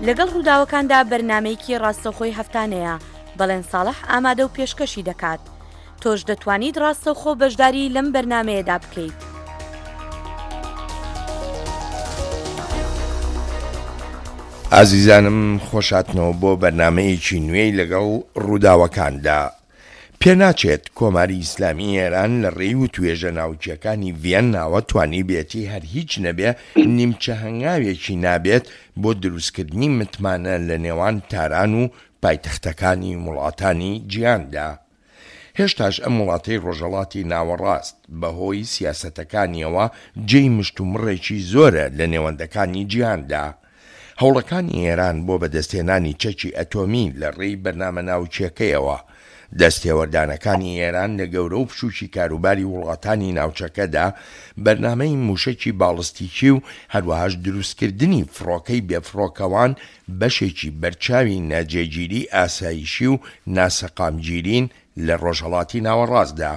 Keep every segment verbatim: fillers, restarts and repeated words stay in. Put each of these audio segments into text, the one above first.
لەگەڵ ڕووداوەکاندا بەرنامەیەکی ڕاستەوخۆی هەفتانەیە، بەڵێن ساڵح ئامادە و پێشکەشی دەکات. تۆش دەتوانیت ڕاستەوخۆ بەشداری لەم بەرنامەیەدا بکەیت. ئازیزانم خۆشاتنەوە بۆ بەرنامەیەکی نوێی لەگەڵ ڕووداوەکاندا. پێناچێت کۆماری ئیسلامی ئێران لە ڕێی وتوێژە ناوکییەکانی ڤیەنناوە توانیبێتی هەر هیچ نەبێ نیمچە هەنگاوێکی نابێت بۆ دروستکردنی متمانە لە نێوان تاران و پایتەختەکانی وڵاتانی جیهاندا. هێشتاش ئەم وڵاتەی ڕۆژهەڵاتی ناوەڕاست بەهۆی سیاسەتەکانیەوە جێی مشتومڕێکی زۆرە لە نێوەندەکانی جیهاندا. هەوڵەکانی ئێران بۆ بەدەستهێنانی چەکی ئەتۆمی لە ڕێی بەرنامە ناوکییەکەیەوە، دەستێوەردانەکانی ئێران لە گەورە و بچووکی کاروباری وڵاتانی ناوچەکەدا، بەرنامەی مووشەکی باڵستیکی و هەروەهاش دروستکردنی فڕۆکەی بێفڕۆکەوان بەشێکی بەرچاوی ناجێگیری ئاسایشی و ناسەقامگیرین لە ڕۆژهەڵاتی ناوەڕاستدا.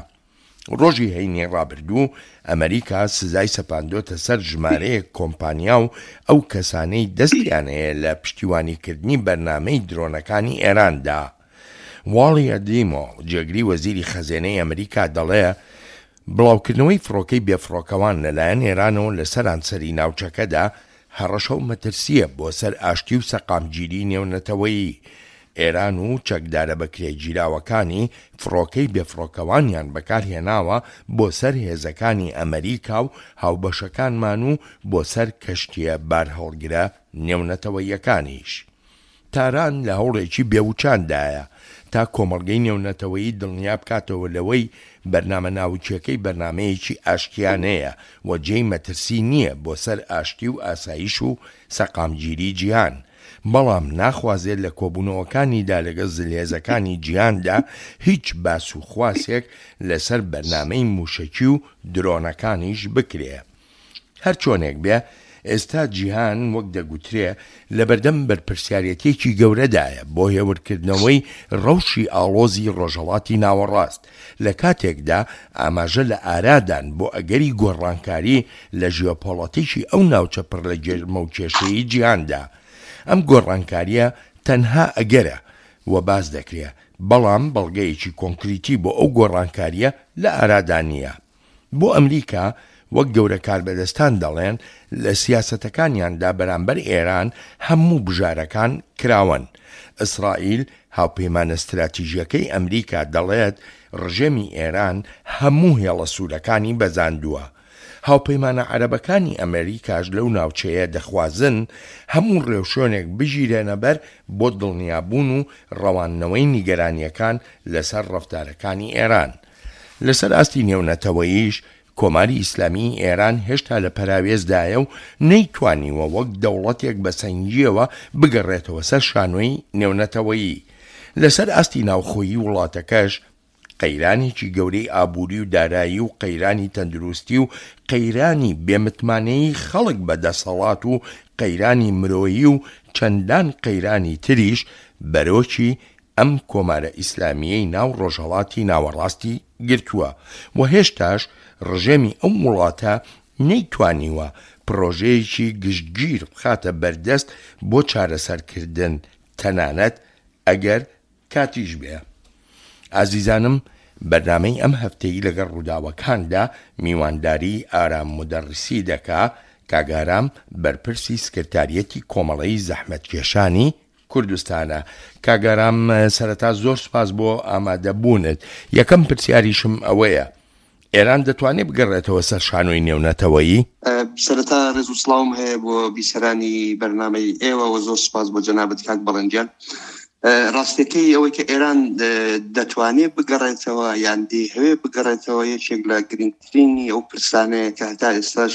ڕۆژی هەینی ڕابردوو ئەمریکا سزای سەپاندۆتە سەر ژمارەیەک کۆمپانیا و ئەو کەسانەی دەستیان هەیە لە پشتیوانیکردنی بەرنامەی درۆنەکانی ئێراندا. واڵی ئەدیمۆ، جێگری وەزیری خەزێنەی ئەمریکا دەڵێ بڵاوکردنەوەی فڕۆکەی بێفڕۆکەوان لەلایەن ئێرانەوە لە سەرانسەری ناوچەکەدا هەڕەشە و مەترسییە بۆ سەر ئاشتی و سەقامگیری نێونەتەوەیی. ئێران و چەکدارە بەکرێگیراوەکانی فڕۆکەی بێفڕۆکەوانیان بەکارهێناوە بۆ سەر هێزەکانی ئەمریکا و هاوبەشەکانمان و بۆ سەر کەشتییە بارهەڵگرە نێونەتەوەییەکانیش. تاران لە هەوڵێکی بێوچاندایە تا کۆمەڵگەی نێونەتەوەیی دڵنیا بکاتەوە لەوەی بەرنامە ناوکییەکەی بەرنامەیەکی ئاشتیانەیە و جێی مەترسی نییە بۆ سەر ئاشتی و ئاسایش و سەقامگیری جیهان، بەڵام ناخوازێت لە کۆبوونەوەکانیدا لەگەڵ زلهێزەکانی جیهاندا هیچ باس و خواسێک لەسەر بەرنامەی مووشەکی و درۆنەکانیش بکرێ. هەرچۆنێک بێ ئێستا جیهان وەک دەگوترێ لەبەردەم بەرپرسیارێتییەکی گەورەدایە بۆ هێورکردنەوەی ڕەوشی ئاڵۆزی ڕۆژهەڵاتی ناوەڕاست، لە کاتێکدا ئاماژە لە ئارادان بۆ ئەگەری گۆڕانکاری لە ژیۆپۆڵەتیکی ئەو ناوچە پڕ لە گێرمە و کێشەیەی جیهاندا. ئەم گۆڕانکارییە تەنها ئەگەرە و باس دەکرێ، بەڵام بەڵگەیەکی کۆنکریتی بۆ ئەو گۆڕانکارییە لە ئارادا نییە. بۆ ئەمریکا وەک گەورە کاربەدەستان دەڵێن لە سیاسەتەکانیاندا بەرامبەر ئێران هەموو بژارەکان کراوەن. ئیسرائیل هاوپەیمانە ستراتیژیەکەی ئەمریکا دەڵێت ڕژێمی ئێران هەموو هێڵە سوورەکانی بەزاندووە. هاوپەیمانە عەرەبەکانی ئەمریکاش لەو ناوچەیە دەخوازن هەموو ڕێوشوێنێک بگیرێنەبەر بۆ دڵنیابوون و ڕەواندنەوەی نیگەرانیەکان لەسەر ڕەفتارەکانی ئێران. لەسەر ئاستی نێونەتەوەییش کۆماری ئیسلامیی ئێران هێشتا لە پەراوێزدایە و نەیتوانیوە وەک دەوڵەتێک بە سەنگییەوە بگەڕێتەوە سەر شانۆی نێونەتەوەیی. لەسەر ئاستی ناوخۆیی وڵاتەکەش قەیرانێکی گەورەی ئابووری و دارایی و قەیرانی تەندروستی و قەیرانی بێمتمانەیی خەڵک بە دەسەڵات و قەیرانی مرۆیی و چەندان قەیرانی تریش بەرۆکی ئەم کۆمارە ئیسلامییەی ناو ڕۆژهەڵاتی ناوەڕاستی گرتووە و هێشتاش ڕژێمی ئەو وڵاتە نەیتوانیوە پڕۆژەیەکی گشتگیر بخاتە بەردەست بۆ چارەسەرکردن تەنانەت ئەگەر کاتیش بێ. ئازیزانم بەرنامەی ئەم هەفتەی لەگەڵ ڕووداوەکاندا میوانداری ئارام مودەڕیسی دەکا، کاک ئارام بەرپرسی سکرتاریەتی کۆمەڵەی زەحمەتکێشانی کوردستانە. کاک ئارام سەرەتا زۆر سوپاس بۆ ئامادەبوونت. یەکەم پرسیاریشم ئەوەیە ئێران دەتوانێت بگەڕێتەوە سەر شانۆی نێونەتەوەیی؟ سەرەتا ڕێز و سڵاوم هەیە بۆ بیسەرانی بەرنامەی ئێوە و زۆر سوپاس بۆ جەنابت کاک بەڵێن گیان. ڕاستیەکەی ئەوەی کە ئێران دەتوانێت بگەڕێتەوە یان دەیهەوێ بگەڕێتەوە یەکێک لە گرنگترینی ئەو پرسانەیە کە هەتا ئێستاش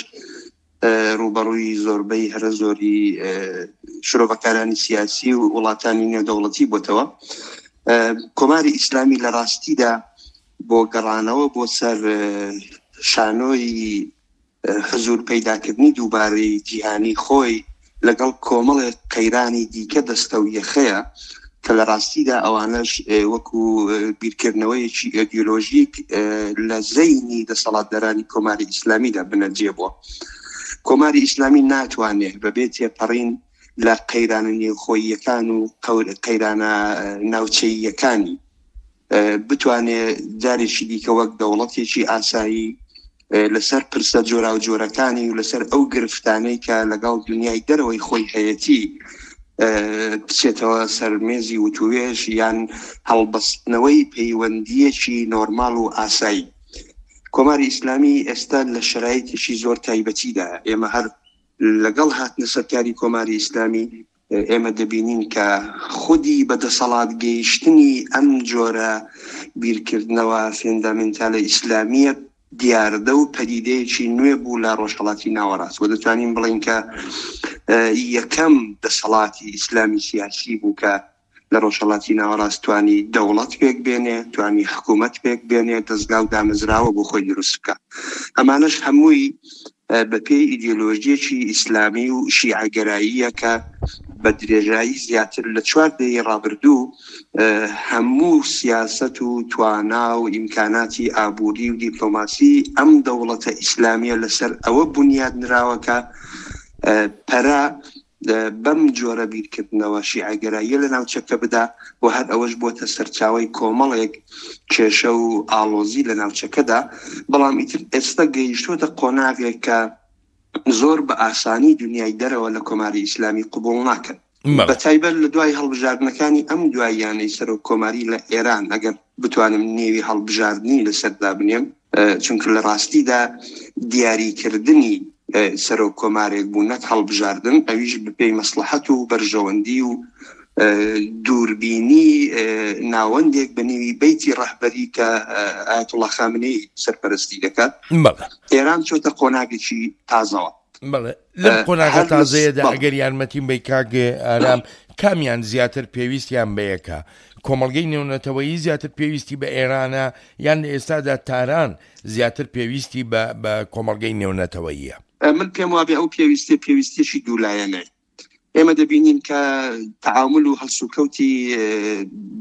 ڕووبەڕووی زۆربەی هەرە زۆری شرۆڤەکارانی سیاسی و وڵاتانی نێودەوڵەتی بۆتەوە. کۆماری ئیسلامی لە ڕاستیدا بۆ گەڕانەوە بۆ سەر شانۆی حزور پەیداکردنی دووبارەی جیهانی خۆی لەگەڵ کۆمەڵێک قەیرانی دیکە دەستە و یەخەیە کە لە ڕاستیدا ئەوانەش وەکو بیرکردنەوەیەکی ئایدیۆلۆژیک لە زەینی دەسەڵاتدارانی کۆماری ئیسلامیدا بنەجێ بووە. کۆماری ئیسلامی ناتوانێت بەبێ تێپەڕین لە قەیرانە نێوخۆییەکان و قەیرانە ناوچەییەکانی بتوانێت جارێکی دیکە وەک دەوڵەتێکی ئاسایی لەسەر پرسە جۆراوجۆرەکانی و لەسەر ئەو گرفتانەی کە لەگەڵ دنیای دەرەوەی خۆی هەیەتی بچێتەوە سەر مێزی وتوێژ یان هەڵبەستنەوەی پەیوەندیەکی نۆرمال و ئاسایی. کۆماری ئیسلامی ئێستا لە شەرایتێکی زۆر تایبەتیدا، ئێمە هەر لەگەڵ هاتنە سەرکاری کۆماری ئیسلامی ئێمە دەبینین کە خودی بەدەسەڵات گەیشتنی ئەم جۆرە بیرکردنەوە فێندامنتالە ئیسلامیە دیاردە و پەدیدەیەکی نوێ بوو لە ڕۆژهەڵاتی ناوەڕاست و دەتوانین بڵێین کە یەکەم دەسەڵاتی ئیسلامی سیاسی بوو کە لە ڕۆژهەڵاتی ناوەڕاست توانی دەوڵەت پێک بێنێ، توانی حکوومەت پێک بێنێ، دەستگا و دامەزراوە بۆ خۆی دروست بکە. ئەمانەش هەمووی بە پێی ئیدیۆلۆژیەکی ئیسلامی و شیعەگەراییە کە بە درێژایی زیاتر لە چوار دەیەی ڕابردوو هەموو سیاسەت و توانا و ئیمکاناتی ئابووری و دیپلۆماسی ئەم دەوڵەتە ئیسلامیە لەسەر ئەوە بونیاد نراوە کە پەرە بەم جۆرە بیرکردنەوە شیعەگەراییە لە ناوچەکە بدا و هەر ئەوەش بۆتە سەرچاوەی کۆمەڵێک کێشە و ئاڵۆزی لە ناوچەکەدا. بەڵام ئیتر ئێستا گەیشتووەتە قۆناغێک کە زۆر بە ئاسانی دنیای دەرەوە لە کۆماری ئیسلامی قبوڵ ناکەن، بە تایبەت لە دوای هەڵبژاردنەکانی ئەم دواییانەی سەرۆک کۆماری لە ئێران، ئەگەر بتوانم نێوی هەڵبژاردنی لەسەر دابنێم، چونکە لە ڕاستیدا دیاریکردنی سەرۆک کۆمارێک بوو نەک هەڵبژاردن، ئەویش بەپێی مەسڵەحەت و بەرژەوەندی و دووربینی ناوەندێک بە نێوی بەیتی ڕەهبەری کە ئایەتوڵڵا خامنەیی سەرپەرستی دەکات. ئێران چۆتە قۆناغێکی تازەوە. بەڵێ، لەم قۆناغە تازەیەدا ئەگەر یارمەتیم بەی کاک ئارام، کامیان زیاتر پێویستیان بە یەکە؟ کۆمەڵگەی نێونەتەوەیی زیاتر پێویستی بە ئێرانە یان لە ئێستادا تاران زیاتر پێویستی بە کۆمەڵگەی نێونەتەوەییە؟ من پێم وابێ ئەو پێویستیە پێویستیەکی دوولایەنەیە. ئێمە دەبینین کە تەعامل و هەڵسوکەوتی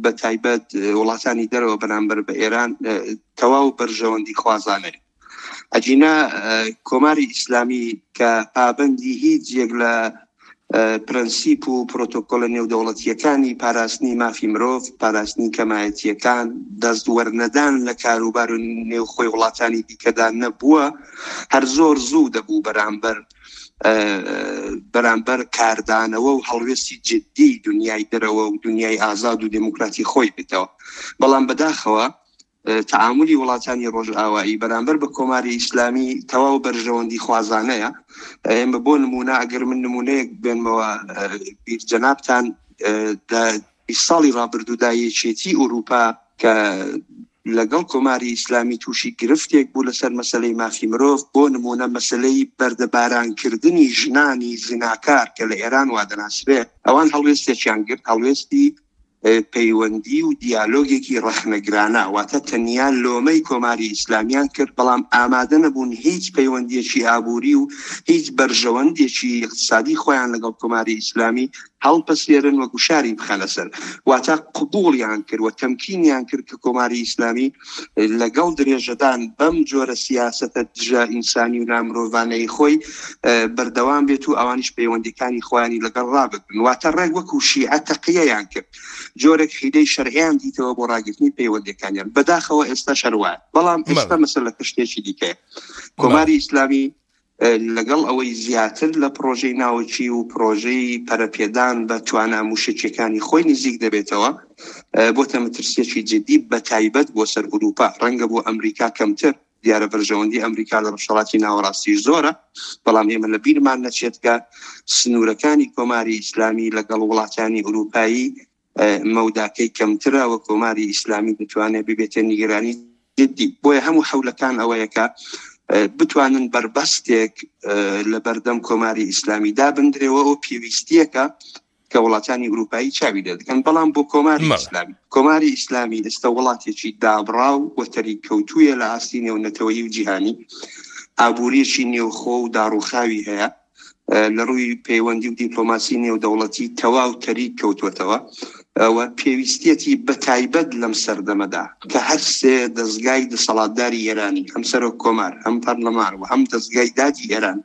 بە تایبەت وڵاتانی دەرەوە بەرامبەر بە ئێران تەواو بەرژەوەندی خوازانەیە. ئەگینا کۆماری ئیسلامی کە پابەندی هیچ یەک لە پرەنسیپ و پرۆتۆکۆلە نێودەوڵەتیەکانی پاراستنی مافی مرۆڤ، پاراستنی کەمایەتیەکان، دەست وەرنەدان لە کاروبار و نێوخۆی وڵاتانی دیکەدا نەبووە، هەر زۆر زوو دەبوو بەرامبەر بەرامبەر کاردانەوە و هەڵوێستی جدی دنیای دەرەوە و دنیای ئازاد و دێموکراتی خۆی بێتەوە. بەڵام بەداخەوە تەعاملی وڵاتانی ڕۆژئاوایی بەرامبەر بە کۆماری ئیسلامی تەواو بەرژەوەندی خوازانەیە. ئێمە بۆ نمونە ئەگەر من نمونەیەک بێنمەوە بیر جەنابتان، لە بیست ساڵی ڕابردوودا یەکێتی ئەوروپا کە لەگەڵ کۆماری ئیسلامی تووشی گرفتێک بوو لەسەر مەسلەی مافی مرۆڤ، بۆ نمونە مەسلەی بەردەبارانکردنی ژنانی زیناکار کە لە ئێران وا دەناسرێ، ئەوان هەڵوێستێکیان گرت، هەڵوێستی پەیوەندی و دیالۆگێکی ڕەخنەگرانە، واتە تەنیا لۆمەی کۆماری ئیسلامیان کرد، بەڵام ئامادە نەبوون هیچ پەیوەندیەکی ئابووری و هیچ بەرژەوەندێکی اقتصادی خۆیان لەگەڵ کۆماری ئیسلامی هەڵپەسێرن و گوشاری بخەنە سەر. واتە قبوڵیان کرد و تەمکینیان کرد کە کۆماری ئیسلامی لەگەڵ درێژەدان بەم جۆرە سیاسەتە دژە ئینسانی و نامرۆڤانەی خۆی بەردەوام بێت و ئەوانیش پەیوەندیەکانی خۆیانی لەگەڵ ڕابگرن. واتە ڕێک وەکو شیعە تەقیەیان کرد، جۆرێک حیلەی شەرعیان دیتەوە بۆ ڕاگرتنی پەیوەندیەکانیان. بەداخەوە ئێستا شەروایە، بەڵام ئێستا مەسەلەکە شتێکی دیکەیە. کۆماری ئیسلامی لەگەڵ ئەوەی زیاتر لە پرۆژەی ناوەکی و پرۆژەی پەرەپێدان بە توانا موشەکیەکانی خۆی نزیک دەبێتەوە، بۆتە مەترسیەکی جدی بە تایبەت بۆ سەر ئەوروپا، ڕەنگە بۆ ئەمریکا کەمتر. دیارە بەرژەوەندی ئەمریکا لە ڕۆژهەڵاتی ناوەڕاستیش زۆرە، بەڵام ئێمە لە بیرمان نەچێت کە سنوورەکانی کۆماری ئیسلامی لەگەڵ وڵاتانی ئەوروپایی مەوداکەی کەمترە و کۆماری ئیسلامی دەتوانێت ببێتە نیگەرانی جدی. بۆیە هەموو حەولەکان ئەوەیە کە بتوانن بەربەستێک لە بەردەم کۆماری ئیسلامی دابندرێەوە ئەو پێویستیەکە کە وڵاتانی ئەوروپایی چاوی لێ دەکەن. بەڵام بۆ کۆماری ئیسلامی، کۆماری ئیسلامی ئێستا وڵاتێکی دابڕاو و تەریک کەوتوویە لە ئاستی نێونەتەوەیی و جیهانی، ئابووریەکی نێوخۆ و داڕووخاوی هەیە، لە ڕووی پەیوەندی و دیپلۆماسی نێودەوڵەتی تەواو تەریک کەوتووەتەوە و پێویستیەتی بە تایبەت لەم سەردەمەدا کە هەر سێ دەستگای دەسەڵاتداری ئێرانی، هەم سەرۆک کۆمار، هەم پەرلەمان و هەم دەستگای دادی ئێران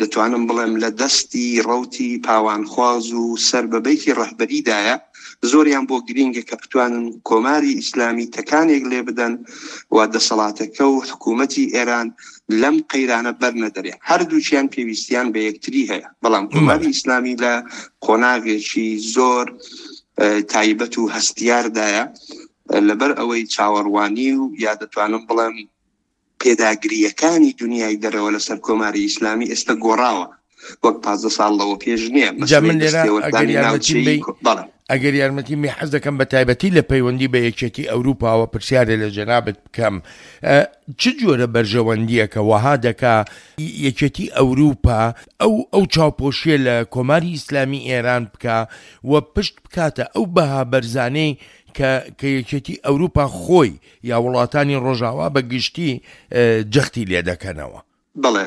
دەتوانم بڵێم لە دەستی ڕەوتی پاوانخواز و سەر بە بەیتی ڕەهبەریدایە، زۆریان بۆ گرینگە کە بتوانن کۆماری ئیسلامی تەکانێک لێ بدەن و دەسەڵاتەکە و حکوومەتی ئێران لەم قەیرانە بەرنەدەرێ. هەردووکیان پێویستیان بە یەکتری هەیە، بەڵام کۆماری ئیسلامی لە قۆناغێکی زۆر تایبەت و هەستیاردایە، لەبەر ئەوەی چاوەڕوانی و یا دەتوانم بڵێم پێداگرییەکانی دنیای دەرەوە لەسەر کۆماری ئیسلامی ئێستا گۆڕاوە، وەک پازدە ساڵ لەوە پێش نییە. جا من لێرە ئەگەر یارمەتیم بەی، ئەگەر یارمەتیم بەی حەز دەکەم بە تایبەتی لە پەیوەندی بە یەکێتی ئەوروپاوە پرسیارێ لە جەنابت بکەم، چ جۆرە بەرژەوەندییەکە وەها دەکا یەکێتی ئەوروپا ئەو ئەو چاوپۆشیە لە کۆماری ئیسلامی ئێران بکا و پشت بکاتە ئەو بەها بەرزانەی کە کە یەکێتی ئەوروپا خۆی یا وڵاتانی ڕۆژاوا بە گشتی جەختی لێ دەکەنەوە؟ بەڵێ،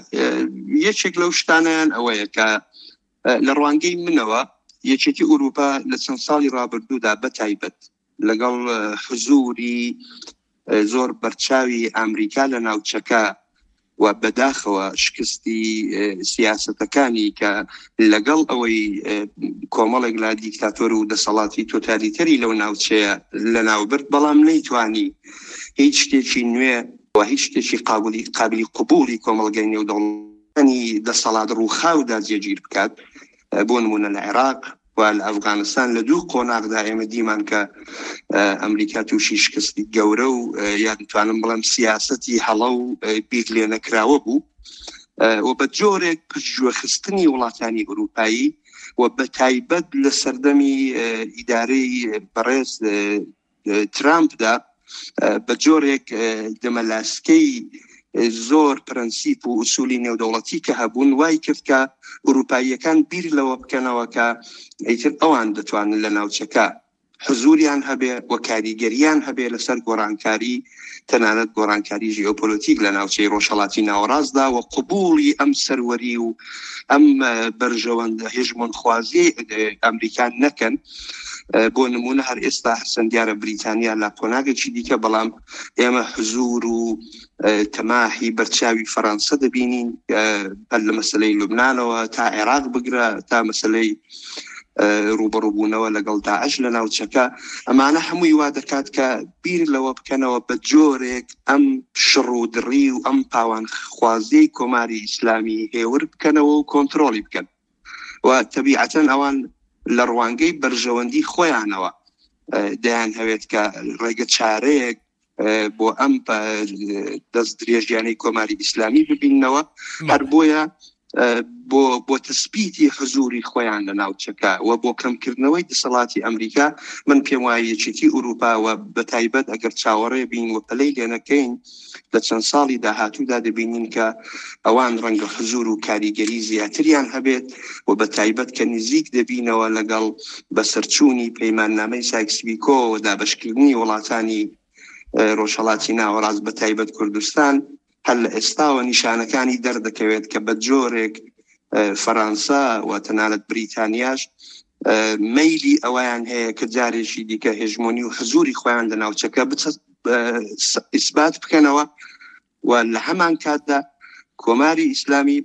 یەکێک لەو شتانیان ئەوەیە کە لە ڕوانگەی منەوە یەکێتی ئەوروپا لە چەند ساڵی ڕابردوودا بە تایبەت لەگەڵ حزوری زۆر بەرچاوی ئەمریکا لە ناوچەکە و بەداخەوە شکستی سیاسەتەکانی کە لەگەڵ ئەوەی کۆمەڵێک لە دیکتاتۆر و دەسەڵاتی تۆتالیتەری لەو ناوچەیە لەناوبرد، بەڵام نەیتوانی هیچ شتێکی نوێ و هیچ شتێکی قابلی قابلی قبوڵی کۆمەڵگەی نێودەوڵەتی دەسەڵات ڕووخاودا جێگیر بکات. بۆ نمونە لە عێراق و لە ئەفغانستان لە دوو قۆناغدا ئێمە دیمان کە ئەمریکا تووشی شکستی گەورە و یا دەتوانم بڵێم سیاسەتی هەڵە و بیر لێ نەکراوە بوو و بە جۆرێک پشتگوێخستنی وڵاتانی ئەوروپایی و بە تایبەت لە سەردەمی ئیدارەی بەڕێز ترامپدا بە جۆرێک دەمەلاسکەی زۆر پرەنسیپ و ئوسولی نێودەوڵەتی کە هەبوون وای کرد کە ئەوروپاییەکان بیر لەوە بکەنەوە کە ئیتر ئەوان دەتوانن لە ناوچەکە حزوریان هەبێ و کاریگەریان هەبێ لەسەر گۆڕانکاری، تەنانەت گۆڕانکاری ژیۆپۆلۆتیک لە ناوچەی ڕۆژهەڵاتی ناوەڕاستدا و قبوڵی ئەم سەروەری و ئەم بەرژەوەندە هێژمۆنخوازیەی ئەمریکا نەکەن. بۆ نمونە هەر ئێستا حەسەن دیارە بریتانیا لە قۆناغێکی دیکە، بەڵام ئێمە حزور و تەماحی بەرچاوی فەرەنسە دەبینین، هەر لە مەسلەی لوبنانەوە تا عێراق بگرە تا مەسلەی ڕوبەڕووبوونەوە لەگەڵ داعش لە ناوچەکە. ئەمانە هەمووی وا دەکات کە بیر لەوە بکەنەوە بە جۆرێک ئەم شڕ و دڕی و ئەم پاوانخوازیەی کۆماری ئیسلامی هێور بکەنەوە و کۆنترۆڵی بکەن و تەبیعەتەن ئەوان لە ڕوانگەی بەرژەوەندی خۆیانەوە دەیان هەوێت کە ڕێگە چارەیەک بۆ ئەم دەست درێژیانەی کۆماری ئیسلامی ببیننەوە. هەر بۆیە بۆ بۆ تەسبیتی حزوری خۆیان لە ناوچەکە و بۆ کەمکردنەوەی دەسەڵاتی ئەمریکا، من پێم وایە یەکێتی ئەوروپا و بە تایبەت ئەگەر چاوەڕێ بین و پەلەی لێ نەکەین لە چەند ساڵی داهاتوودا دەبینین کە ئەوان ڕەنگە حزور و کاریگەری زیاتریان هەبێت و بە تایبەت کە نزیک دەبینەوە لەگەڵ بەسەرچوونی پەیماننامەی سایکس-بیکۆ و دابەشکردنی وڵاتانی ڕۆژهەڵاتی ناوەڕاست بە تایبەت کوردستان، هەر لە ئێستاوە نیشانەکانی دەردەکەوێت کە بە جۆرێک فەرەنسا و تەنانەت بریتانیاش مەیلی ئەوەیان هەیە کە جارێکی دیکە هێژمۆنی و حزوری خۆیان لە ناوچەکە ئیسبات بکەنەوە و لە هەمان کاتدا کۆماری ئیسلامی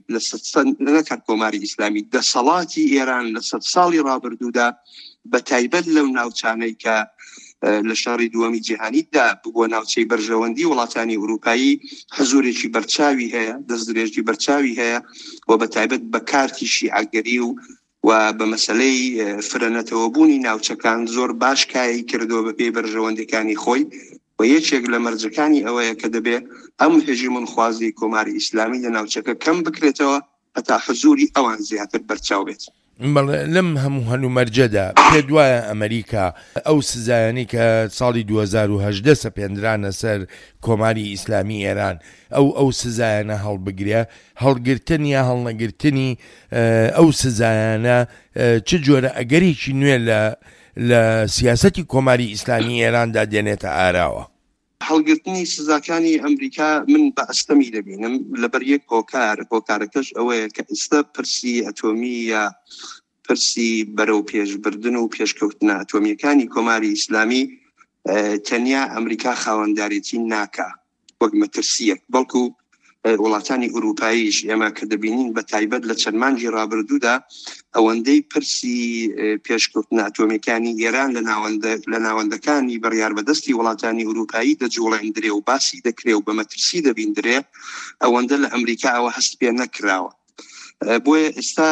لە نەکات کۆماری ئیسلامی دەسەڵاتی ئێران لە سەد ساڵی ڕابردوودا بە تایبەت لەو ناوچانەی کە لە شەڕی دووەمی جیهانیدا بووە ناوچەی بەرژەوەندی وڵاتانی ئەوروپایی حزورێکی بەرچاوی هەیە، دەستدرێژی بەرچاوی هەیە و بە تایبەت بە کارتی شیعەگەری و و بە مەسلەی فرەنەتەوەبوونی ناوچەکان زۆر باش کایەی کردووە بە پێی بەرژەوەندیەکانی خۆی و یەکێک لە مەرجەکانی ئەوەیە کە دەبێ ئەم هێژمۆنخوازی کۆماری ئیسلامی لە ناوچەکە کەم بکرێتەوە هەتا حزوری ئەوان زیاتر بەرچاو بێت. بەڵێ، لەم هەموو هەلومەرجەدا پێت وایە ئەمریکا ئەو سزایانەی کە ساڵی دوو هەزار و هەژدە سەپێندرانە سەر کۆماری ئیسلامی ئێران ئەو ئەو سزایانە هەڵبگرێ؟ هەڵگرتن یا هەڵنەگرتنی ئەو سزایانە چ جۆرە ئەگەرێکی نوێ لە لە سیاسەتی کۆماری ئیسلامی ئێراندا دێنێتە ئاراوە؟ هەڵگرتنی سزاکانی ئەمریکا من بە ئەستەمی دەبینم لەبەر یەک هۆکار، هۆکارەکەش ئەوەیە کە ئێستا پرسی ئەتۆمی یا پرسی بەرەو پێشبردن و پێشکەوتنە ئەتۆمیەکانی کۆماری ئیسلامی تەنیا ئەمریکا خاوەندارێتی ناکا وەک مەترسیەک، بەڵکو وڵاتانی ئورووپاییش ئێمە کە دەبینین بە تایبەت لە چەند مانگی ڕابردوودا ئەوەندەی پرسی پێشکەوتنە ئەتۆمیەکانی ئێران لە ناوەندە لە ناوەندەکانی بڕیاربەدەستی وڵاتانی ئورووپایی دەجوڵێندرێ و باسی دەکرێ و بە مەترسی دەبیندرێ، ئەوەندە لە ئەمریکا ئەوە هەست پێ نەکراوە. بۆیە ئێستا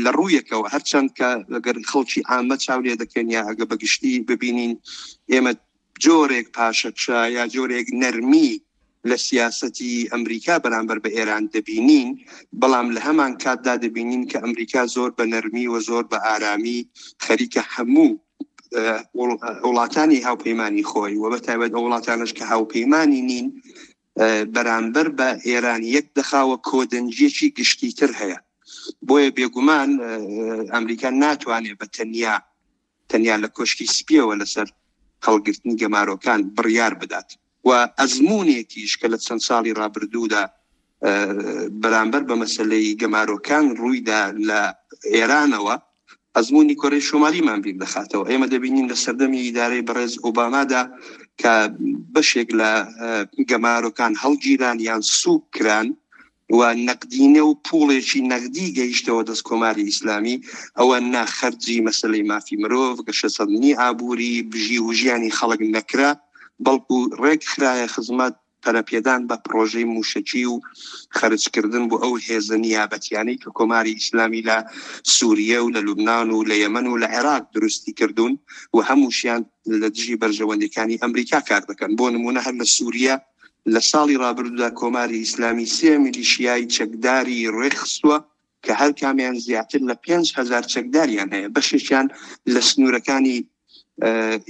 لە ڕوویەکەوە هەرچەند کە ئەگەر خەڵکی عامە چاو لێ دەکەن یا ئەگە بەگشتی ببینین ئێمە جۆرێک پاشەکشە یا جۆرێک نەرمی لە سیاسەتی ئەمریکا بەرامبەر بە ئێران دەبینین، بەڵام لە هەمان کاتدا دەبینین کە ئەمریکا زۆر بە نەرمی و زۆر بە ئارامی خەریکە هەموو وڵاتانی هاوپەیمانی خۆی و بە تایبەت ئەو وڵاتانەش کە هاوپەیمانی نین بەرامبەر بە ئێران یەک دەخاوە، کۆدەنگیەکی گشتیتر هەیە. بۆیە بێگومان ئەمریکا ناتوانێت بە تەنیا تەنیا لە کۆشکی سپیەوە لەسەر هەڵگرتنی گەمارۆکان بڕیار بدات و ئەزمونێکیش کە لە چەند ساڵی ڕابردوودا بەرامبەر بە مەسلەی گەمارۆکان ڕوویدا لە ئێرانەوە ئەزمموی کۆرەی شمالیمان بیر دەخاتەوە. ئێمە دەبینین لە سەردەمی ئیدارەی بەڕێز ئۆبامادا کە بەشێک لە گەمارۆکان هەڵگیران یان سوک کران و نەقدینە و پوڵێکی نەقدی گەیشتەوە دەست کۆماری ئیسلامی، ئەوە ناخەرجی مەسلەی مافی مرۆڤ، گەشەسەندنی ئابووری، بژی و ژیانی خەڵک نەکرا، بەڵکو ڕێک خرایە خزمەت پەرەپێدان بە پرۆژەی موشکی و خەرجکردن بۆ ئەو هێزە نیابەتیانەی کە کۆماری ئیسلامی لە سووریە و لە لوبناان و لە یەمەن و لە عێراق دروستی کردوون و هەمووشیان لە دژی بەرژەوەندیەکانی ئەمریکا کار دەکەن. بۆ نمونە هەر لە سووریە لە ساڵی ڕابردوودا کۆماری ئیسلامی سێ میلیشیای چەکداری ڕێکخستووە کە هەر کامیان زیاتر لە پێنج هەزار چەکداریان هەیە، بەشێکیان لە سنوورەکانی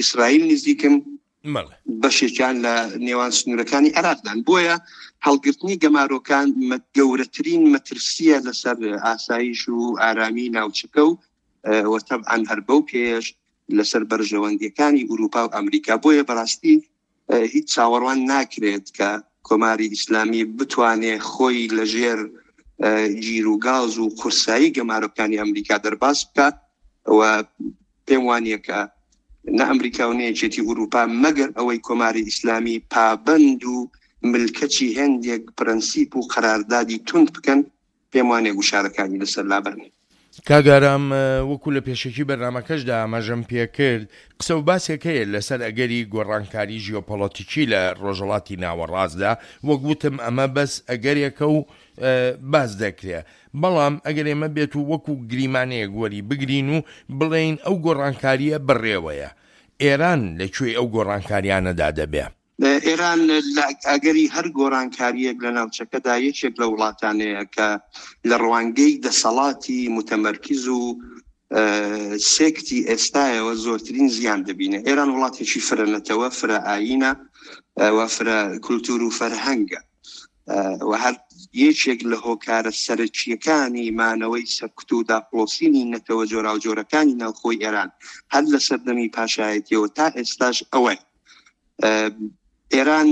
ئیسرائیل نزیکن، بەشێکیان لە نێوان سنوورەکانی عێراقدان. بۆیە هەڵگرتنی گەمارۆکان گەورەترین مەترسیە لەسەر ئاسایش و ئارامی ناوچەکە و وەتەبعەن هەر بەو پێش لەسەر بەرژەوەندیەکانی ئوروپا و ئەمریکا. بۆیە بەڕاستی هیچ چاوەڕوان ناکرێت کە کۆماری ئیسلامی بتوانێ خۆی لەژێر گیر و گاز و قورسایی گەمارۆکانی ئەمریکا دەرباز بکات و پێم وانییە کە نە ئەمریکا و نە یەکێتی ئوروپا مەگەر ئەوەی کۆماری ئیسلامی پابەند و ملکەچی هێندێک پرەنسیپ و قەراردادی توند بکەن، پێم وانیە گوشارەکانی لەسەر لابەرن. کاک ئارام، وەکو لە پێشەکی بەرنامەکەشدا ئاماژەم پێکرد، قسە و باسێک هەیە لەسەر ئەگەری گۆڕانکاری ژیۆپۆلەتیکی لە ڕۆژهەڵاتی ناوەڕاستدا، وەک وتم ئەمە بەس ئەگەرێکە و باس دەکرێ، بەڵام ئەگەر ئێمە بێت و وەکو گریمانەیەک وەری بگرین و بڵێین ئەو گۆڕانکارییە بەڕێوەیە، ئێران لە کوێی ئەو گۆڕانکاریانەدا دەبێ؟ ئێران لە ئەگەری هەر گۆڕانکارییەک لە ناوچەکەدا یەکێک لە وڵاتانەیە کە لە ڕوانگەی دەسەڵاتی متەمەرکز و سێکتی ئێستایەوە زۆرترین زیان دەبینێ. ئێران وڵاتێکی فرە نەتەوە، فرە ئایینە و فرە کولتور و فەرهەنگە و هەر یەکێک لە هۆکارە سەرەکییەکانی مانەوەی سەرکوت و داپڵۆسینی نەتەوە جۆراوجۆرەکانی ناوخۆی ئێران هەر لە سەردەمی پاشایەتیەوە تا ئێستاش ئەوەیە. ئێران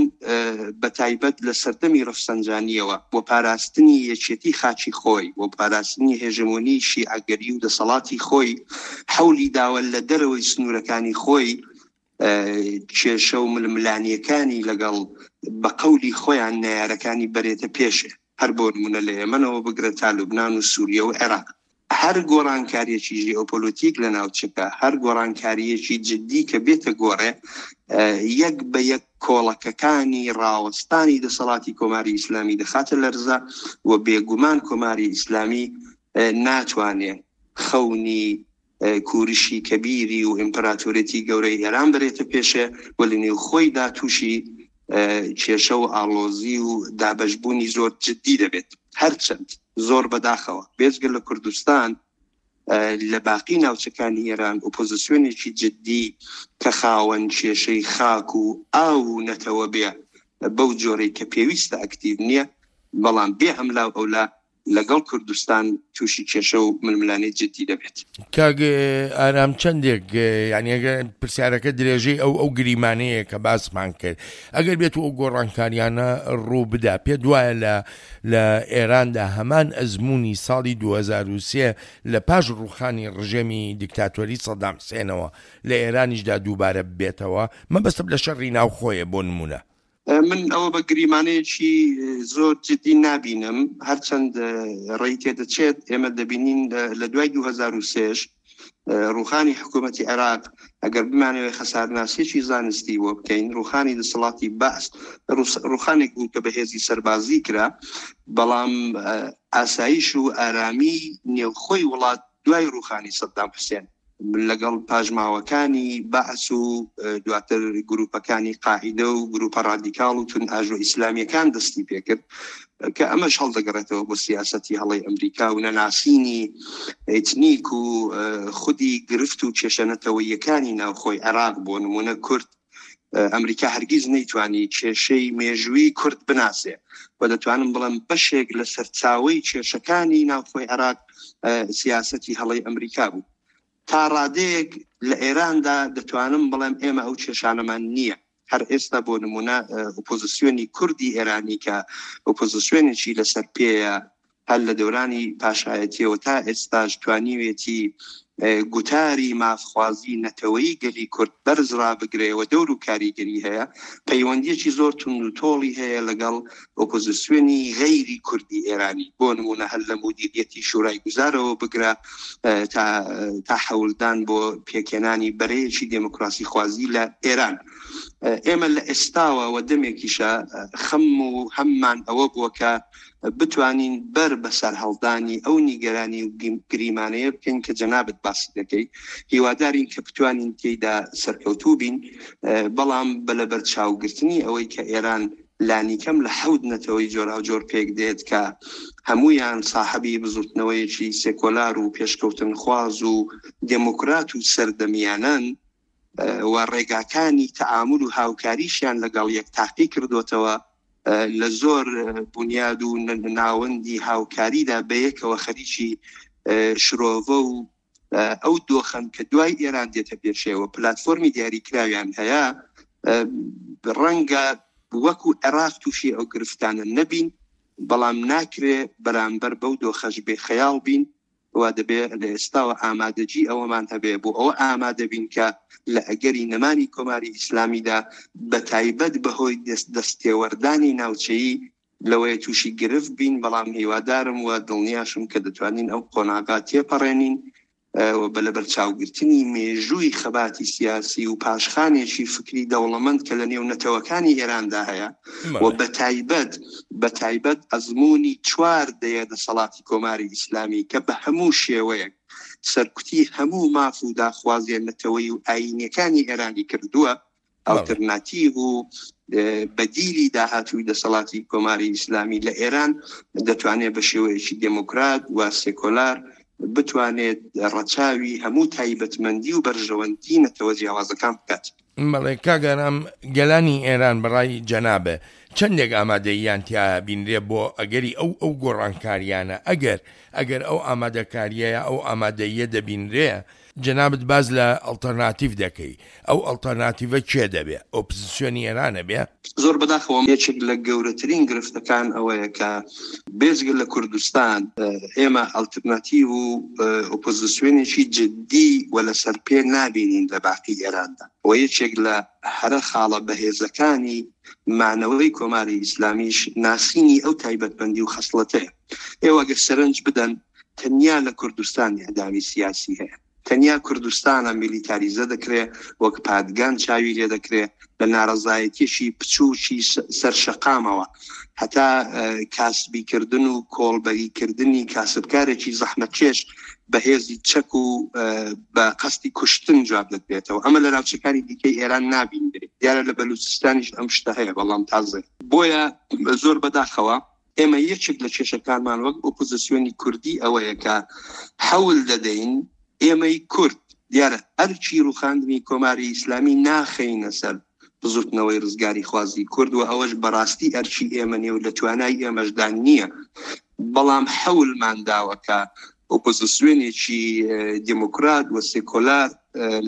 بە تایبەت لە سەردەمی ڕەفسەنجانیەوە بۆ پاراستنی یەکێتی خاکی خۆی، بۆ پاراستنی هێژمۆنی شیعەگەری و دەسەڵاتی خۆی، حەولی داوە لە دەرەوەی سنوورەکانی خۆی کێشە و ململانیەکانی لەگەڵ بە قەولی خۆیان نەیارەکانی بەرێتە پێشێ، هەر بۆ نمونە لە یەمەنەوە بگرە تا لوبنان و سووریە و عێراق. هەر گۆڕانکاریەکی ژیۆپۆلۆتیک لە ناوچەکە، هەر گۆڕانکاریەکی جدی کە بێتە گۆڕێ، یەک بە یەک کۆڵەکەکانی ڕاوەستانی دەسەڵاتی کۆماری ئیسلامی دەخاتە لەرزە و بێگومان کۆماری ئیسلامی ناتوانێ خەونی کورشی کەبیری و ئیمپراتۆریەتی گەورەی ئێران بەرێتە پێشێ و لە نێو خۆیدا تووشی کێشە و ئاڵۆزی و دابەشبوونی زۆر جدی دەبێت. هەرچەند زۆر بەداخەوە بێجگە لە کوردستان لە باقی ناوچەکانی ئێران ئۆپۆزیسیۆنێکی جدی کە خاوەن کێشەی خاک و ئاو و نەتەوە بێ بەو جۆرەی کە پێویستە ئەکتیڤ نییە، بەڵام بێ ئەملا و ئەولا لەگەڵ کوردستان تووشی کێشە و ململانێی جدی دەبێت. کاک ئارام چەندێک یانی ئەگەر پرسیارەکە درێژەی ئەو ئەو گریمانەیە کە باسمان کرد، ئەگەر بێت و ئەو گۆڕانکاریانە ڕوو بدا، پێت وایە لە لە ئێراندا هەمان ئەزموونی ساڵی دوو هەزار و سێ لە پاش ڕووخانی ڕژێمی دیکتاتۆری سەدام حسێنەوە لە ئێرانیشدا دووبارە ببێتەوە؟ مەبەستم لە شەڕی ناوخۆیە بۆ نموونە. من ئەوە بە گریمانەیەکی زۆر جدی نابینم، هەرچەند ڕێی تێدەچێت. ئێمە دەبینین لە دوای دوو هەزار و سێش ڕوخانی حکوومەتی عێراق، ئەگەر بمانەوێت خەسارناسیەکی زانستی بۆ بکەین، ڕوخانی دەسەڵاتی بەعس ڕوخانێک بوو کە بەهێزی سەربازی کرا، بەڵام ئاسایش و ئارامی نێوخۆی وڵات دوای ڕوخانی سەدام حوسێن لەگەڵ پاژماوەکانی بەعس و دواتر گروپەکانی قاعیدە و گروپە ڕادیکاڵ و توندئاژۆ ئیسلامیەکان دەستی پێکرد، کە ئەمەش هەڵدەگەڕێتەوە بۆ سیاسەتی هەڵەی ئەمریکا و نەناسینی ئیتنیک و خودی گرفت و کێشە نەتەوەییەکانی ناوخۆی عێراق. بۆ نمونە کورد، ئەمریکا هەرگیز نەیتوانی کێشەی مێژووی کورد بناسێ و دەتوانم بڵێم بەشێک لە سەرچاوەی کێشەکانی ناوخۆی عێراق سیاسەتی هەڵەی ئەمریکا بوو. تا ڕادەیەک لە ئێراندا دەتوانم بڵێم ئێمە ئەو کێشانەمان نییە. هەر ئێستا بۆ نمونە ئۆپۆزیسیۆنی کوردی ئێرانی کە ئۆپۆزیسیۆنێکی لەسەر پێیە هەر لە دەورانی پاشایەتیەوە تا ئێستاش توانیوێتی گوتاری مافخوازی نەتەوەیی گەلی کورد بەرز ڕابگرێەوە، دەور و کاریگەری هەیە، پەیوەندیەکی زۆر توند و تۆڵی هەیە لەگەڵ ئۆپۆزیسیۆنی غەیری کوردی ئێرانی. بۆ نمونە هەر لە مودیریەتی شورای گوزارەوە بگرە تا تا حەولدان بۆ پێکهێنانی بەرەیەکی دێموکراسی خوازی لە ئێران. ئێمە لە ئێستاوە و دەمێکیشە خەم و هەممان ئەوە بووە کە بتوانین بەر بەسەر هەڵدانی ئەو نیگەرانی و گریمانەیە بکەین کە جەنابت باسی دەکەی. هیوادارین کە بتوانین تێیدا سەرکەوتوو بین، بەڵام بە لەبەرچاوگرتنی ئەوەی کە ئێران لانیکەم لە حەوت نەتەوەی جۆراوجۆر پێک دێت کە هەمویان ساحەبی بزوتنەوەیەکی سێکۆلار و پێشکەوتنخواز و دێموکرات و سەردەمیانن و ڕێگاکانی تەعامل و هاوکاریشیان لەگەڵ یەک تاقی کردوتەوە، لە زۆر بنیاد و ناوەندی هاوکاریدا بەیەکەوە خەریکی شرۆڤە و ئەو دۆخەن کە دوای ئێران دێتە پێشەوە پلتفۆرمی دیاریکراویان هەیە. ڕەنگە وەکو عێراق تووشی ئەو گرفتانە نەبین، بەڵام ناکرێ بەرامبەر بەو دۆخەش بێخەیاڵ بین و دەبێت لە ئێستاوە ئامادەگی ئەوەمان هەبێ بۆ ئەوە ئامادە بین کە لە ئەگەری نەمانی کۆماری ئیسلامیدا بە تایبەت بەهۆی دەستێوەردانی ناوچەیی لەوەیە تووشی گرفت بین. بەڵام هیوادارم و دڵنیاشم کە دەتوانین ئەو قۆناغا تێپەڕێنین و بە لەبەرچاوگرتنی مێژووی خەباتی سیاسی و پاشخانێکی فکری دەوڵەمەند کە لە نێو نەتەوەکانی ئێراندا هەیە و بەتایبەت بەتایبەت ئەزمموی چوار دەیە دەسەڵاتی کۆماری ئیسلامی کە بە هەموو شێوەیەک سەرکوتی هەموو ماف و داخوازیە نەتەوەی و ئاینیەکانی ئێرانی کردووە، ئەڵتەرناتیڤ و بەدیلی داهاتووی دەسەڵاتی کۆماری ئیسلامی لە ئێران دەتوانێت بە شێوەیەکی دێموکرات و سێکۆلار بتوانێت ڕەچاوی هەموو تایبەتمەندی و بەرژەوەندی نەتەوە جیاوازەکان بکات. بەڵێ کاک ئارام، گەلانی ئێران بەڕای جەنابە چەندێک ئامادەییان تیا بینرێ بۆ ئەگەری ئەو ئەو گۆڕانکاریانە؟ ئەگەر ئەگەر ئەو ئامادەکاریەیە ئەو ئامادەییە دەبینرێ، جەنابت باز لە ئەڵتەرناتیڤ دەکەی، ئەو ئەڵتەرناتیڤە کێ دەبێ؟ ئۆپزیسیۆنی ئێرانە بێ؟ زۆر بەداخەوە یەکێک لە گەورەترین گرفتەکان ئەوەیە کە بێجگە لە کوردستان ئێمە ئەڵتەرناتیڤ و ئۆپۆزیسیۆنێکی جدی و لەسەر پێ نابینین لە باقی ئێراندا. و یەکێک لە هەرە خاڵە بەهێزەکانی مانەوەی کۆماری ئیسلامیش ناسینی ئەو تایبەتمەندی و خەسڵەتەیە. ئێوە ئەگەر سەرنج بدەن تەنیا لە کوردستان ئیعدامی سیاسی هەیە، تەنیا کوردستانە میلیتاریزە دەکرێ، وەک پادگان چاوی لێ دەکرێ، لە ناڕەزایەتیەکی بچووکی سەر شەقامەوە هەتا کاسبیکردن و کۆڵبەریکردنی کاسبکارێکی زەحمەتکێش بەهێزی چەک و بە قەستی کوشتن جواب دەدرێتەوە. ئەمە لە ناوچەکانی دیکەی ئێران نابینرێت. دیارە لە بەلوچستانیش ئەم شتە هەیە، بەڵام تازە. بۆیە زۆر بەداخەوە ئێمە یەکێک لە کێشەکانمان وەک ئۆپۆزیسیۆنی کوردی ئەوەیە کە حەول دەدەین ئێمەی کورد دیارە ئەرکی ڕوخاندنی کۆماری ئیسلامی ناخەینە سەر بزوتنەوەی ڕزگاری خوازی کورد و ئەوەش بەڕاستی ئەرکی ئێمە نیە و لە توانای ئێمەشدا نییە، بەڵام حەولمان داوە کە ئۆپۆزیسیۆنێکی دێموکرات و سێکۆلار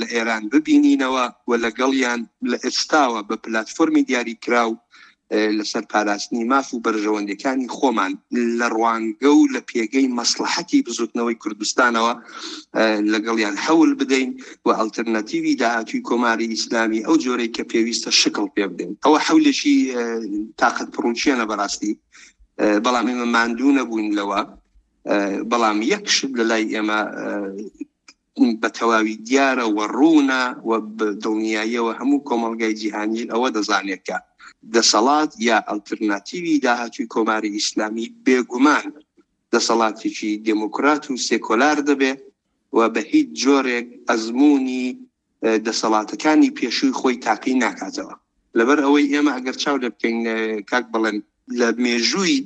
لە ئێران ببینینەوە و لەگەڵیان لە ئێستاوە بە پلتفۆرمی دیاریکراو لەسەر پاراستنی ماف و بەرژەوەندیەکانی خۆمان لە ڕوانگە و لە پێگەی مەسڵەحەتی بزوتنەوەی کوردستانەوە لەگەڵیان حەول بدەین و ئەلتەرناتیوی داهاتووی کۆماری ئیسلامی ئەو جۆرەی کە پێویستە شکڵ پێ بدەین. ئەوە حەولێکی تاقەت پڕوچێنە بەڕاستی، بەڵام ئێمە ماندوو نەبووین لەوە. بەڵام یەک شت لە لای ئێمە بە تەواوی دیارە و ڕوونە و دڵنیاییەوە هەموو کۆمەڵگای جیهانی ئەوە دەزانێت کە دەسەڵات یا ئەلتەرناتیوی داهاتووی کۆماری ئیسلامی بێگومان دەسەڵاتێکی دێموکرات و سێکۆلار دەبێ و بە هیچ جۆرێک ئەزمموی دەسەڵاتەکانی پێشووی خۆی تاقی ناکاتەوە. لەبەر ئەوەی ئێمە ئەگەر چاو لێ بکەین کاک بڵێن لە مێژووی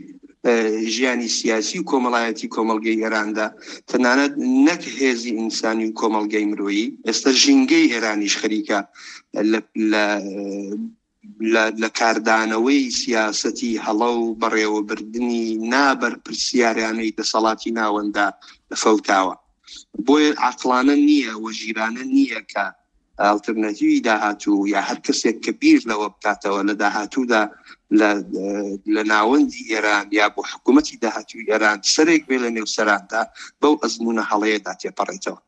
ژیانی سیاسی و کۆمەڵایەتی کۆمەڵگەی ئێراندا تەنانەت نەک هێزی ئینسانی و کۆمەڵگەی مرۆیی، ئێستا ژینگەی ئێرانیش خەریکە لە کاردانەوەی سیاسەتی هەڵە و بەڕێوەبردنی نابەرپرسیارانەی دەسەڵاتی ناوەندا فەوتاوە. بۆیە عەقڵانە نییە و ژیرانە نییە کە ئەلتەرناتیوی داهاتوو یا هەر کەسێک کە بیر لەوە بکاتەوە لە داهاتوودا لە ناوەندی ئێران یا بۆ حکوومەتی داهاتووی ئێران سەرێک بێ لە نێو سەراندا بەو ئەزمونە هەڵەیەدا تێپەڕێتەوە.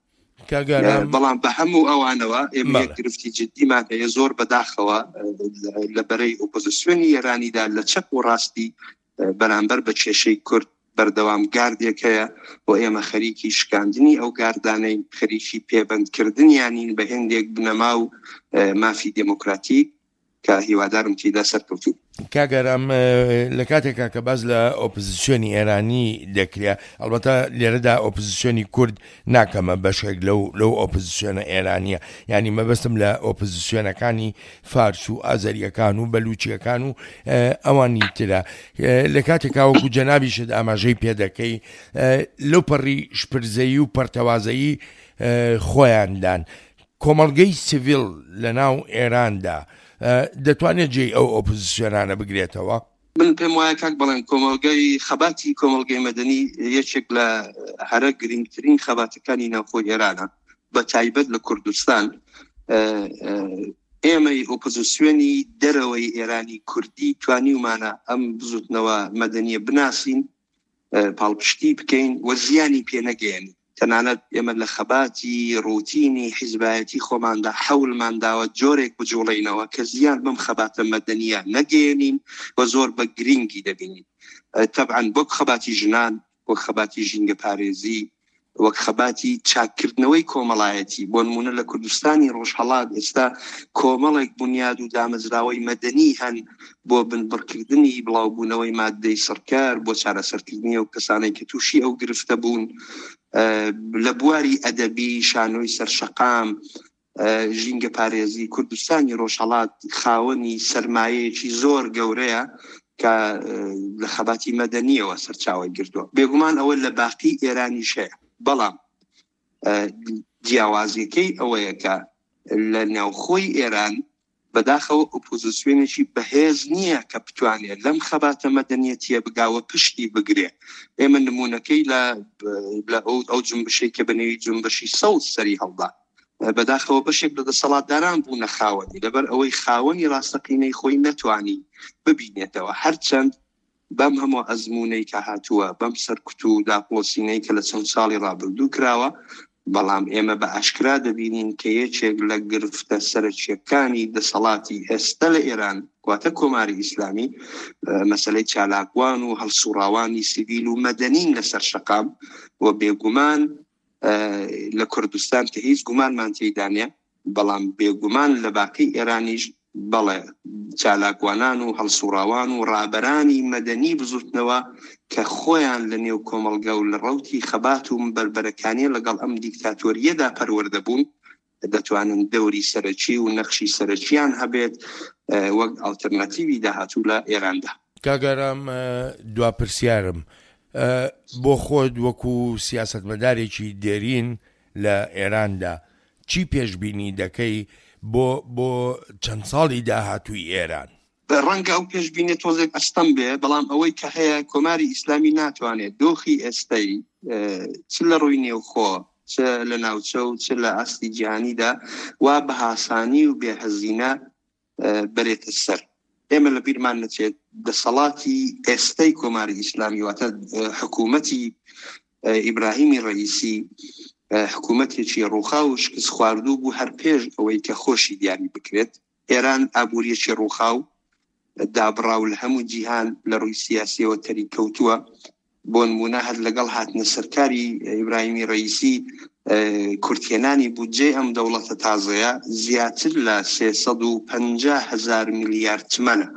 بەڵام بە هەموو ئەوانەوە ئێمە یەک گرفتی جدیمان هەیە زۆر بەداخەوە لە بەرەی ئۆپۆزیسیۆنی ئێرانیدا لە چەپ و ڕاستی بەرامبەر بە کێشەی کورد بەردەوام گاردێک هەیە و ئێمە خەریکی شکاندنی ئەو گاردانەی خەریکی پێبەندکردنیانین بە هێندێک بنەما و مافی دێموکراتیک کە هیوادارم تێدا سەرکەوتوو. کاک ئارام، لە کاتێکا کە باز لە ئۆپۆزیسیۆنی ئێرانی دەکرێت، ئەلبەتە لێرەدا ئۆپۆزیسیۆنی کورد ناکەمە بەشێک لەو لەو ئۆپۆزیسیۆنە ئێرانیە، یعنی مەبەستم لە ئۆپۆزیسیۆنەکانی فارس و ئازەریەکان و بەلوچیەکان و ئەوانی ترە. لە کاتێکا وەکو جەنابیشت ئاماژەی پێدەکەی لەو پەڕی شپرزەیی و پەرتەوازەیی خۆیاندان، کۆمەڵگەی سیڤیل لە ناو ئێراندا دەتوانێت جێی ئەو ئۆپۆزیسیۆنانە بگرێتەوە؟ من پێم وایە کاک بڵێن کۆمەڵگەی خەباتی کۆمەڵگەی مەدەنی یەکێک لە هەرە گرنگترین خەباتەکانی ناوخۆی ئێرانە، بە تایبەت لە کوردستان. ئێمەی ئۆپۆزیسیۆنی دەرەوەی ئێرانی کوردی توانیومانە ئەم بزوتنەوە مەدەنیە بناسین، پاڵپشتی بکەین و زیانی پێ نەگەیەنین. تەنانەت ئێمە لە خەباتی ڕوتینی حیزبایەتی خۆماندا حەولمان داوە جۆرێک بجوڵێینەوە کە زیان بەم خەباتە مەدەنیە نەگەیەنین و زۆر بە گرنگی دەبینین. تەبعاً وەک خەباتی ژنان، وەک خەباتی ژینگەپارێزی، وەک خەباتی چاککردنەوەی کۆمەڵایەتی. بۆ نمونە لە کوردستانی ڕۆژهەڵات ئێستا کۆمەڵێک بنیاد و دامەزراوەی مەدەنی هەن بۆ بنبڕکردنی بڵاوبوونەوەی مادەی سڕکار، بۆ چارەسەرکردنی ئەو کەسانەی کە تووشی ئەو گرفتە بوون. لە بواری ئەدەبی، شانۆی سەرشەقام، ژینگە پارێزی، کوردستانی ڕۆژهەڵات خاوەنی سەرمایەیەکی زۆر گەورەیە کە لە خەباتی مەدەنیەوە سەرچاوەی گرتووە. بێگومان ئەوە لە باقی ئێرانیش هەیە، بەڵام جیاوازیەکەی ئەوەیە کە لە ناوخۆی ئێران بەداخەوە ئۆپۆزیسیۆنێکی بەهێز نییە کە بتوانێت لەم خەباتە مەدەنیەتیە بگاوە پشتی بگرێ. ئێمە نمونەکەی لە ئەو جنبشەی کە بەنێوی جنبشی سەوز سەری هەڵدا، بەداخەوە بەشێک لە دەسەڵاتداران بوونە خاوەنی، لەبەر ئەوەی خاوەنی ڕاستەقینەی خۆی نەتوانی ببینێتەوە. هەرچەند بەم هەموو ئەزمونەی کە هاتووە، بەم سەرکوت و داپڵۆسینەی کە لە چەند ساڵی ڕابردوو کراوە، بەڵام ئێمە بە ئاشکرا دەبینین کە یەکێک لە گرفتە سەرەکیەکانی دەسەڵاتی ئێستا لە ئێران، واتە کۆماری ئیسلامی، مەسەلەی چالاکوان و هەڵسوڕاوانی سیڤیل و مەدەنین لەسەر شەقام و بێگومان لە کوردستان کە هیچ گومانمان تێیدا نییە، بەڵام بێگومان لە باقی ئێرانیش بەڵێ چالاکوانان و هەڵسوڕاوان و ڕابەرانی مەدەنی بزوتنەوە کە خۆیان لە نێو کۆمەڵگە و لە ڕەوتی خەبات و بەربەرەکانی لەگەڵ ئەم دیکتاتۆریەدا پەروەردە بوون، دەتوانن دەوری سەرەکی و نەخشی سەرەکیان هەبێت وەک ئەلتەرناتیوی داهاتوو لە ئێراندا. کاک ئارام، دوا پرسیارم بۆ خۆت وەکو سیاسەتمەدارێکی دێرین لە ئێراندا چی پێشبینی دەکەی بۆ بۆ چەند ساڵی داهاتووی ئێران؟ ڕەنگە ئەو پێشبینێ تۆزێک ئەستەم بێ، بەڵام ئەوەی کە هەیە کۆماری ئیسلامی ناتوانێت دۆخی ئێستای چ لە ڕووی نێوخۆ، چ لە ناوچە و چ لە ئاستی جیهانیدا وا بە هاسانی و بێهەزینە بەرێتە سەر. ئێمە لە بیرمان نەچێت دەسەڵاتی ئێستەی کۆماری ئیسلامی، واتە حکوومەتی ئیبراهیمی ڕئیسی، حکوومەتێکی ڕووخاو و شکست خواردوو بوو هەر پێش ئەوەی کە خۆشی دیاری بکرێت. ئێران ئابووریەکی ڕووخاو دابڕاو لە هەموو جیهان لە ڕووی سیاسیەوە تەریک کەوتووە. بۆ نمونە هەر لەگەڵ هاتنە سەرکاری ئیبراهیمی ڕئیسی کورتهێنانی بودجەی ئەم دەوڵەتە تازەیە زیاتر لە سێ سەد و پەنجا هەزار میلیارد تمەنە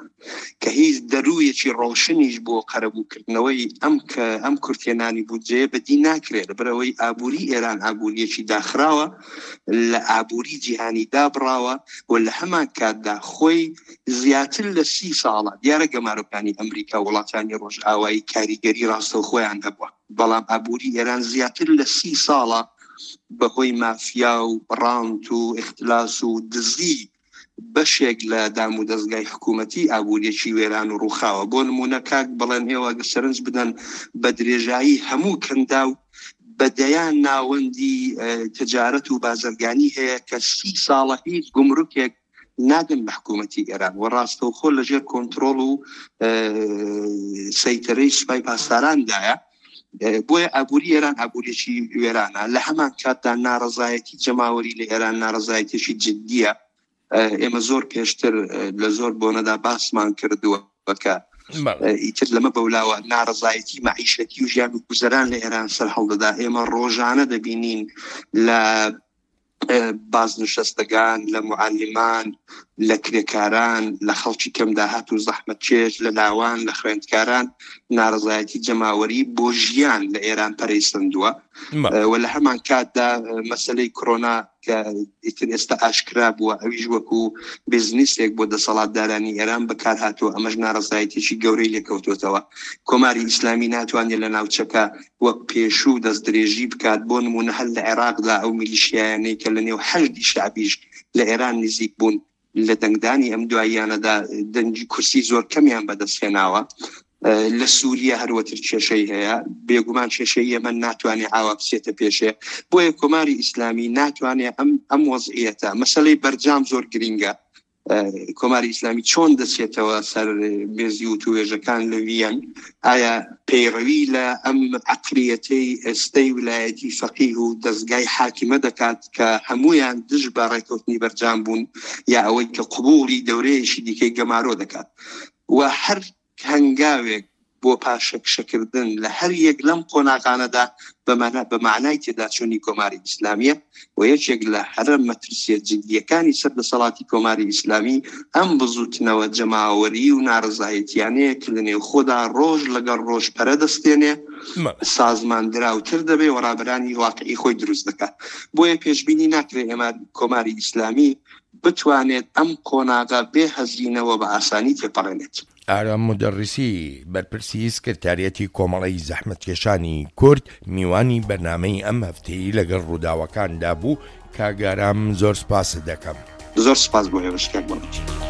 کە هیچ دەروویەکی ڕۆشنیش بۆ قەرەبووکردنەوەی ئەم کە ئەم کورتهێنانی بودجەیە بەدی ناکرێت، لەبەرئەوەی ئابووری ئێران ئابووریەکی داخراوە، لە ئابووری جیهانی دابڕاوە و لە هەمان کاتدا خۆی زیاتر لە سی ساڵە دیارە گەمارۆکانی ئەمریکا و وڵاتانی ڕۆژئاوایی کاریگەری ڕاستەوخۆیان هەبووە، بەڵام ئابووری ئێران زیاتر لە سی ساڵە بەهۆی مافیا و ڕانت و ئیختلاس و دزی بەشێک لە دام و دەستگای حکوومەتی ئابووریەکی وێران و ڕووخاوە. بۆ نمونە کاک بڵێن ئێوە ئەگەر سەرنج بدەن بە درێژایی هەموو کەنداو بە دەیان ناوەندی تجارەت و بازرگانی هەیە کە سی ساڵە هیچ گومرکێک نادەن بە حکوومەتی ئێران و ڕاستەوخۆ لەژێر کۆنترۆڵ و سەیتەرەی سوپای پاسداراندایە. بۆیە ئابووری ئێران ئابووریەکی وێرانە. لە هەمان کاتدا ناڕەزایەتی جەماوەری لە ئێران ناڕەزایەتێکی جدیە. ئێمە زۆر پێشتر لە زۆر بۆنەدا باسمان کردووە کە ئیتر لەمە بەولاوە ناڕەزایەتی مەعیشەتی و ژیان و گوزەران لە ئێران سەر هەڵدەدا. ئێمە ڕۆژانە دەبینین لە بازنشەستەکان، لە معەلیمان، لە کرێکاران، لە خەڵکی کەمداهات و زەحمەتکێش، لە لاوان، لە خوێندکاران ناڕەزایەتی جەماوەری بۆ ژیان لە ئێران پەرەی سەندووە. و لە هەمان کاتدا مەسەلەی کۆرۆنا کە ئیتر ئێستا ئاشکرا بووە، ئەویش وەکو بزنسێک بۆ دەسەڵاتدارانی ئێران بەکارهاتووە، ئەمەش ناڕەزایەتێکی گەورەی لێکەوتووەتەوە. کۆماری ئیسلامی ناتوانێت لە ناوچەکە وەک پێشوو دەستدرێژی بکات. بۆ نمونە هەر لە عێراقدا ئەو میلیشیایانەی کە لە نێو حەشدی شەعبیش لە ئێران نزیک بوون لە دەنگدانی ئەم دواییانەدا دەنگی کورسی زۆر کەمیان بەدەستهێناوە. لە سووریا هەروەتر کێشەی هەیە، بێگومان کێشەی یەمەن ناتوانێت ئاوا بچێتە پێشێ. بۆیە کۆماری ئیسلامی ناتوانێت ئەم ئەم وەزعیەتە، مەسەلەی بەرجام زۆر گرینگە. کۆماری ئیسلامی چۆن دەچێتەوە سەر مێزی وتوێژەکان لە ویەن؟ ئایا پەیڕەوی لە ئەم عەقلیەتەی ئێستەی ولایەتی فەقیه و دەستگای حاکمە دەکات کە هەمویان دژ بە ڕێکەوتنی بەرجام بوون، یا ئەوەی کە قبوڵی دەورەیەکی دیکەی گەمارۆ دەکات؟ و هەر هەنگاوێک بۆ پاشەکشەکردن لە هەر یەک لەم قۆناغانەدا بە معنای تێداچوونی کۆماری ئیسلامیە و یەکێک لە هەرە مەترسیە جدیەکانی سەر دەسەڵاتی کۆماری ئیسلامی ئەم بزوتنەوە جەماوەری و ناڕەزایەتیانەیە کە لە نێوخۆدا ڕۆژ لەگەڵ ڕۆژ پەرە دەستێنێ، سازمان دراوتر دەبێ و ڕابەرانی واقعی خۆی دروست دەکات. بۆیە پێشبینی ناکرێت ئێمە کۆماری ئیسلامی بتوانێت ئەم قۆناغە بێ هەزینەوە بە ئاسانی تێپەڕێنێت. ئارام مودەڕیسی، بەرپرسی سکرتاریەتی کۆمەڵەی زەحمەتکێشانی کورد، میوانی بەرنامەی ئەم هەفتەی لەگەڵ ڕووداوەکاندا بوو. کاک ئارام زۆر سپاست دەکەم. زۆر سپاس بۆ ئێوەش کاک بەڵێن.